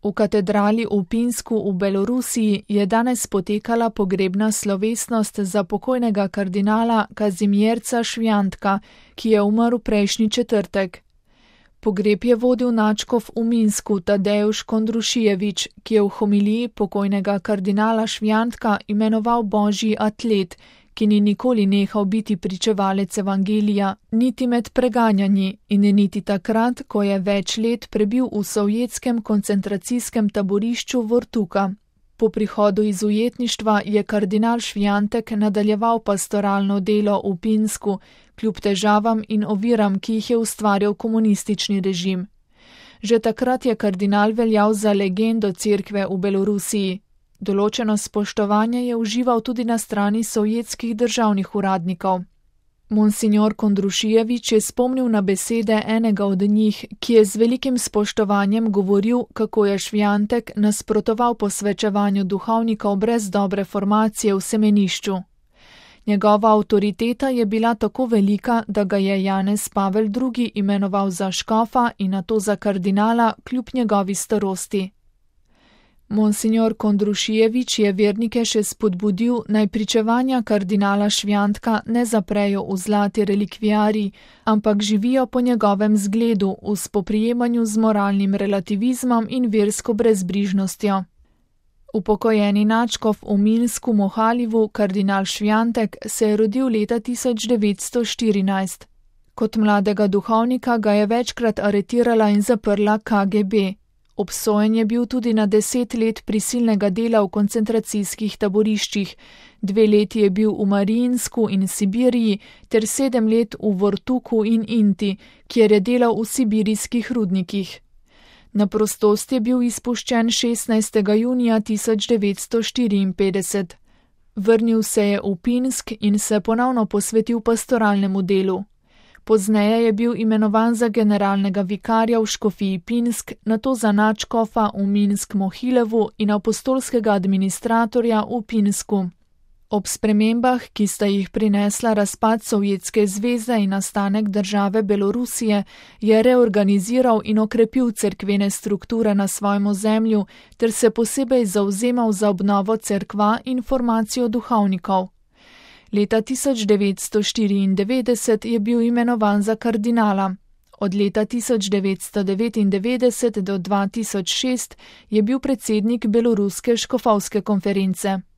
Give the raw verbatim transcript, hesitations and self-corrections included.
V katedrali v Pinsku v Belorusiji je danes potekala pogrebna slovesnost za pokojnega kardinala Kazimierza Švjantka, ki je umrl prejšnji četrtek. Pogreb je vodil nadškof v Minsku Tadeusz Kondrušijevič, ki je v homiliji pokojnega kardinala Švjantka imenoval božji atlet, ki ni nikoli nehal biti pričevalec evangelija, niti med preganjanji in niti takrat, ko je več let prebil v sovjetskem koncentracijskem taborišču Vortuka. Po prihodu iz ujetništva je kardinal Švjantek nadaljeval pastoralno delo v Pinsku, kljub težavam in oviram, ki jih je ustvarjal komunistični režim. Že takrat je kardinal veljal za legendo cerkve v Belorusiji. Določeno spoštovanje je užival tudi na strani sovjetskih državnih uradnikov. Monsignor Kondrušijevič je spomnil na besede enega od njih, ki je z velikim spoštovanjem govoril, kako je Švjantek nasprotoval posvečevanju duhovnikov brez dobre formacije v semenišču. Njegova avtoriteta je bila tako velika, da ga je Janez Pavel drugi imenoval za škofa in nato za kardinala kljub njegovi starosti. Monsignor Kondrušijevič je vernike še spodbudil, naj pričevanja kardinala Švjantka ne zaprejo v zlati relikviarij, ampak živijo po njegovem zgledu v spoprijemanju z moralnim relativizmom in versko brezbrižnostjo. Upokojeni nadškof v Minsku Mohalivu, kardinal Švjantek, se je rodil leta tisoč devetsto štirinajst. Kot mladega duhovnika ga je večkrat aretirala in zaprla K G B. Obsojen je bil tudi na deset let prisilnega dela v koncentracijskih taboriščih, dve leti je bil v Mariinsku in Sibiriji ter sedem let v Vortuku in Inti, kjer je delal v sibirijskih rudnikih. Na prostost je bil izpuščen šestnajstega junija tisoč devetsto štiriinpetdeset. Vrnil se je v Pinsk in se ponovno posvetil pastoralnemu delu. Pozneje je bil imenovan za generalnega vikarja v škofiji Pinsk, nato za nadškofa v Minsk Mohilevu in apostolskega administratorja v Pinsku. Ob spremembah, ki sta jih prinesla razpad Sovjetske zveze in nastanek države Belorusije, je reorganiziral in okrepil cerkvene strukture na svojem ozemlju ter se posebej zavzemal za obnovo cerkva in formacijo duhovnikov. Leta tisoč devetsto štiriindevetdeset je bil imenovan za kardinala. Od leta tisoč devetsto devetindevetdeset do dva tisoč šest je bil predsednik Beloruske škofovske konference.